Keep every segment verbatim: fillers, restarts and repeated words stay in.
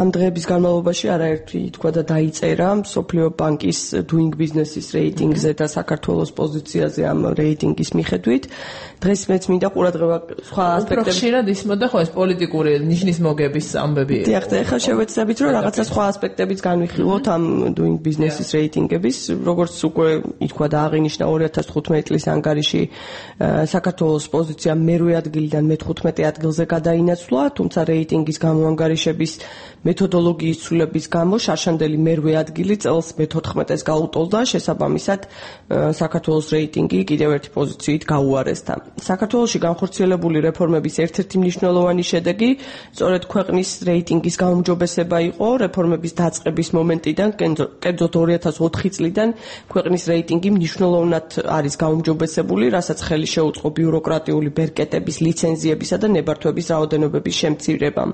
ამ დღეების განმავლობაში არაერთი თქვა და დაიწერა მსოფლიო ბანკის doing business-ის რეიტინგზე და საქართველოს პოზიციაზე ამ რეიტინგის მიხედვით. დღეს მეც მინდა ყურადღება სხვა ასპექტებში. უფრო ხშირად ისმოდა ხო ეს პოლიტიკური ნიშნის მოგების ამბები. დიახ, და ეხლა შევეცდებით რომ რაღაცა სხვა ასპექტებიც განვიხილოთ ამ doing business-ის რეიტინგების, როგორც უკვე ითქვა და აღინიშნა ორი ათას თხუთმეტი წლის ანგარიში საქართველოს პოზიცია მერვე ადგილიდან მეთხუთმეტე ადგილზე გადაინაცვლა, თუმცა რეიტინგის გამოანგარიშების მეთოდოლოგიის ცვლილების გამო შარშანდელი მერვე ადგილი წელს მეთოთხმეტეს გაუტოლდა, შესაბამისად საქართველოს რეიტინგი კიდევ ერთი პოზიციით გაუარესდა. საქართველოში განხორციელებული რეფორმების ერთ-ერთი მნიშვნელოვანი შედეგი სწორედ ქვეყნის რეიტინგის გაუმჯობესება იყო. რეფორმების დაწყების მომენტიდან, კერძოდ ორი ათას ოთხი წლიდან ქვეყნის რეიტინგი მნიშვნელოვნად არის გაუმჯობესებული, რასაც ხელი შეუწყო ბიუროკრატიული ბერკეტების, ლიცენზიებისა და ნებართვების რაოდენობების შემცირებამ.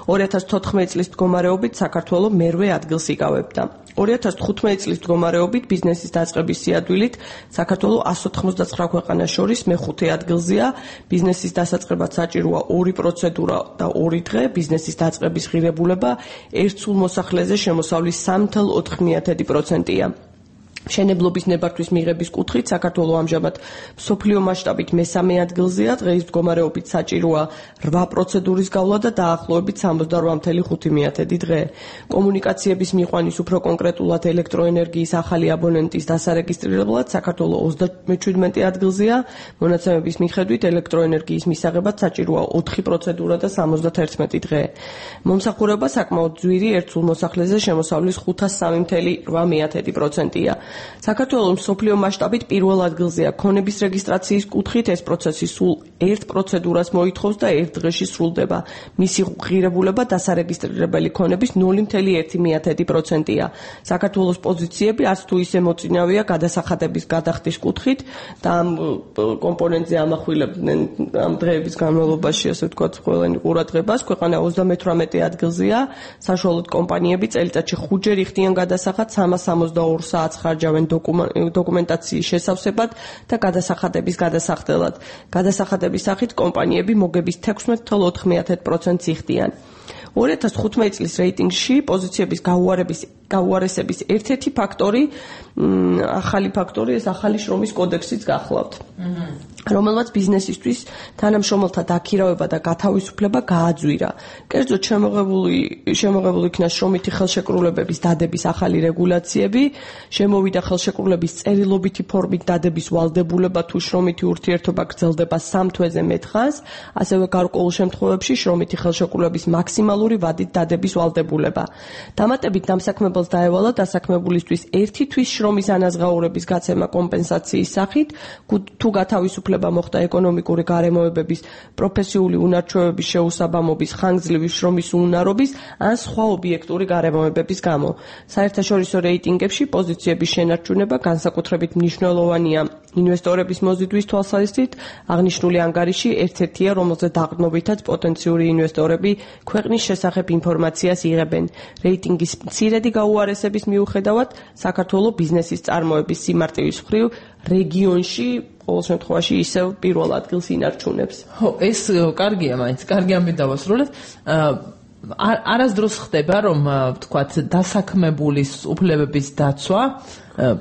ორი ათას თოთხმეტი წლის მდგომარეობით საქართველო მერვე ადგილს იკავებდა. ორი ათას თხუთმეტი წლის მდგომარეობით ბიზნესის დაწყების სიადვილით საქართველო ას ოთხმოცდაცხრა ქვეყანას შორის მეხუთე ადგილზეა. ბიზნესის დასაწყებად საჭიროა ორი პროცედურა და ორი დღე, ბიზნესის დაწყების ღირებულება ერთ სულ მოსახლეზე შემოსავლის სამი ათეული ოთხ პროცენტია. მშენებლობის ნებართვის მიღების კუთხით საქართველო ამჟამად მსოფლიო მასშტაბით მესამე ადგილზეა, დღეის მდგომარეობით საჭიროა რვა პროცედურის გავლა და დაახლოებით სამოცდარვა ათეული ხუთი დღე. კომუნიკაციების მიყვანის უფრო კონკრეტულად ელექტროენერგიის ახალი აბონენტის დასარეგისტრირებლად საქართველო ოცდამეჩვიდმეტე ადგილზეა, მონაცემების მიხედვით ელექტროენერგიის მისაღებად საჭიროა ოთხი პროცედურა და სამოცდაერთმეტი დღე. მომსახურება საკმაოდ ძვირი ერთ სულ მოსახლეზე შემოსავლის ხუთას სამი ათეული რვა პროცენტია. საქართველოს მსოფლიო მასშტაბით პირველ ადგილზეა ქონების რეგისტრაციის კუთხით, ეს პროცესი სულ ერთ პროცედურას მოითხოვს და ერთ დღეში სრულდება. მისი ღირებულება დასარეგისტრირებელი ქონების ნული ათეული ერთი პროცენტია. საქართველოს პოზიციები არც თუ ისე მოწინავეა გადასახადების გადახდის კუთხით და ამ კომპონენტზე ამახვილებდნენ ამ დღეების განმავლობაში, ასე ვთქვათ, ყველანი ყურადღებას. ქვეყანა ოცდამეთვრამეტე ადგილზეა, საშუალოდ კომპანიები წელიწადში ხუთჯერ იხდიან გადასახად სამას სამოცდაორ საათს ხარჯავენ დოკუმენტაციის შესავსებად და გადასახადების გადასახდელად. გადასახადების სახით კომპანიები მოგების თექვსმეტ ათეული ოთხ პროცენტს იხდიან. ორი ათას თხუთმეტი წლის რეიტინგში პოზიციების გაუარების გაუარესების ერთ-ერთი ფაქტორი, ახალი ფაქტორი, ეს ახალი შრომის კოდექსიც გახლავთ. რომელმაც ბიზნესისთვის თანამშრომელთა დაქირავება და გათავისუფლება გააძვირა. კერძოდ შემოღებული შემოღებული იქნა შრომითი ხელშეკრულებების დადების ახალი რეგულაციები, შემოვიდა ხელშეკრულების წერილობითი ფორმით დადების ვალდებულება თუ შრომითი ურთიერთობა გრძელდება სამ თვეზე მეტ ხანს, ასევე გარკვეულ შემთხვევებში შრომითი ხელშეკრულების მაქსიმალური ვადით დადების ვალდებულება. დამატებით დამსაქმებელს დაევალა დასაქმებულისთვის ერთი თვის შრომის ანაზღაურების გაცემა კომპენსაციის სახით, თუ გათავისუფლება მოხდა ეკონომიკური გარემოებების, პროფესიული უნარჩვევების შეუსაბამობის, ხანგრძლივი შრომის უუნარობის ან სხვა ობიექტური გარემოებების გამო. საერთაშორისო რეიტინგებში პოზიციების შენარჩუნება განსაკუთრებით მნიშვნელოვანია ინვესტორების მოზიდვის თვალსაზრისით. აღნიშნული ანგარიში ერთ-ერთია, რომელზეც დაყრდნობითაც პოტენციური ინვესტორები ქვეყნის შესახებ ინფორმაციას იღებენ. რეიტინგის მცირედი გაუარესების მიუხედავად, საქართველოს ბიზნესის წარმოების სიმარტივის მხრივ რეგიონში ყოველ შემთხვევაში ისევ პირველ ადგილს ინარჩუნებს. ხო, ეს კარგია, მაინც კარგი ამბით დავასრულეთ. არასდროს ხდება, რომ ვთქვათ, დასაქმებულის უფლებების დაცვა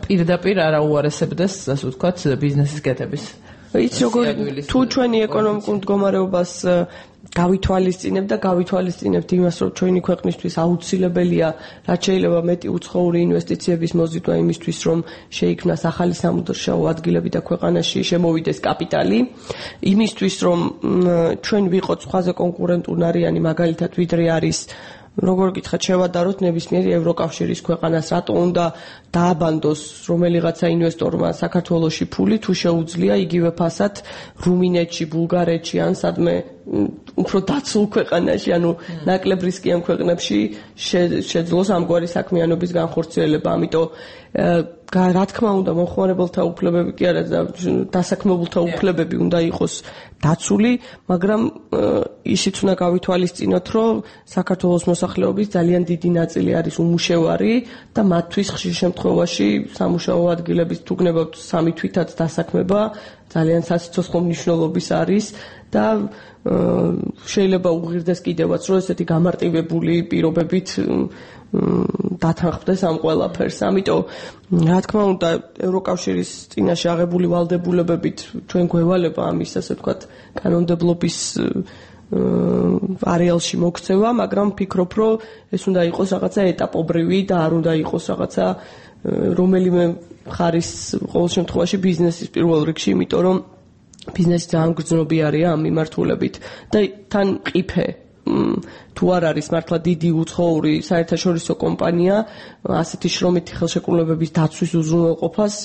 პირდაპირ არ აუარესებდეს, ასე ვთქვათ, ბიზნესის კეთების. იცი როგორ თუ ჩვენი ეკონომიკურ მდგომარეობას გავითვალისწინებ და გავითვალისწინებთ იმას, რომ ჩვენი ქვეყნისთვის აუცილებელია, რაც შეიძლება მეტი უცხოური ინვესტიციების მოზიდვა იმისთვის, რომ შეიქმნას ახალი სამუშაო ადგილები და ქვეყანაში შემოვიდეს კაპიტალი, იმისთვის, რომ ჩვენ ვიყოთ სხვაზე კონკურენტუნარიანი, მაგალითად, ვიდრე არის როგორ გითხრათ, შევადაროთ ნებისმიერი ევროკავშირის ქვეყანას, რატო უნდა დააბანდოს რომელიღაცა ინვესტორმა საქართველოში ფული, თუ შეუძლია იგივე ფასად რუმინეთში, ბულგარეთში ან სადმე უფრო დაცულ ქვეყანაში, ანუ ნაკლებ რისკიან ქვეყნებში შეძლოს ამგვარი საქმიანობის განხორციელება. ამიტომ რა თქმა უნდა, მომხმარებელთა უფლებები კი არა, დასაქმებულთა უფლებები უნდა იყოს დაცული, მაგრამ ისიც უნდა გავითვალისწინოთ, რომ საქართველოს მოსახლეობის ძალიან დიდი ნაწილი არის უმუშევარი და მათთვის ხშირ შემთხვევაში სამუშაო ადგილების თუ გნებავთ სამი თვითაც დასაქმება ძალიან სასიცოცხლო მნიშვნელობის არის და შეიძლება უღირდეს კიდევაც, რომ ესეთი გამარტივებული პირობებით დათანხმდეს ამ ყველაფერს. ამიტომ, რა თქმა უნდა, ევროკავშირის წინაშე აღებული ვალდებულებებით ჩვენ გვევალება ამის, ასე ვთქვათ, კანონმდებლობის არეალში მოქცევა, მაგრამ ვფიქრობ, რომ ეს უნდა იყოს რაღაცა ეტაპობრივი და არ უნდა იყოს რაღაცა რომელიმე მხარის ყოველ შემთხვევაში ბიზნესის პირველ რიგში, იმიტომ რომ ბიზნესი ძალიან გრძნობიარია ამ მიმართულებით და თან ყიფე თუ არ არის მართლა დიდი უცხოური საერთაშორისო კომპანია, ასეთი შრომითი ხელშეკრულებების დაცვის უზრუნველყოფას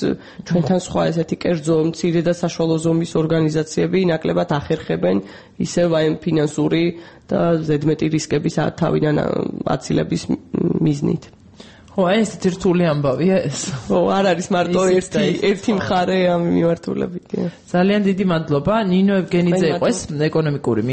ჩვენთან სხვა ესეთი კერძო მცირე და საშუალო ზომის ორგანიზაციები ნაკლებად ახერხებენ ისევ აი ფინანსური და ზედმეტი რისკების თავიდან აცილების მიზნით. ხო, აი ესეთი რთული ამბავია ეს. ხო, არ არის მარტო ერთი ერთი მხარე ამ მიმართულებით. ძალიან დიდი მადლობა. ნინო ევგენიძე იყო ეს ეკონომიკური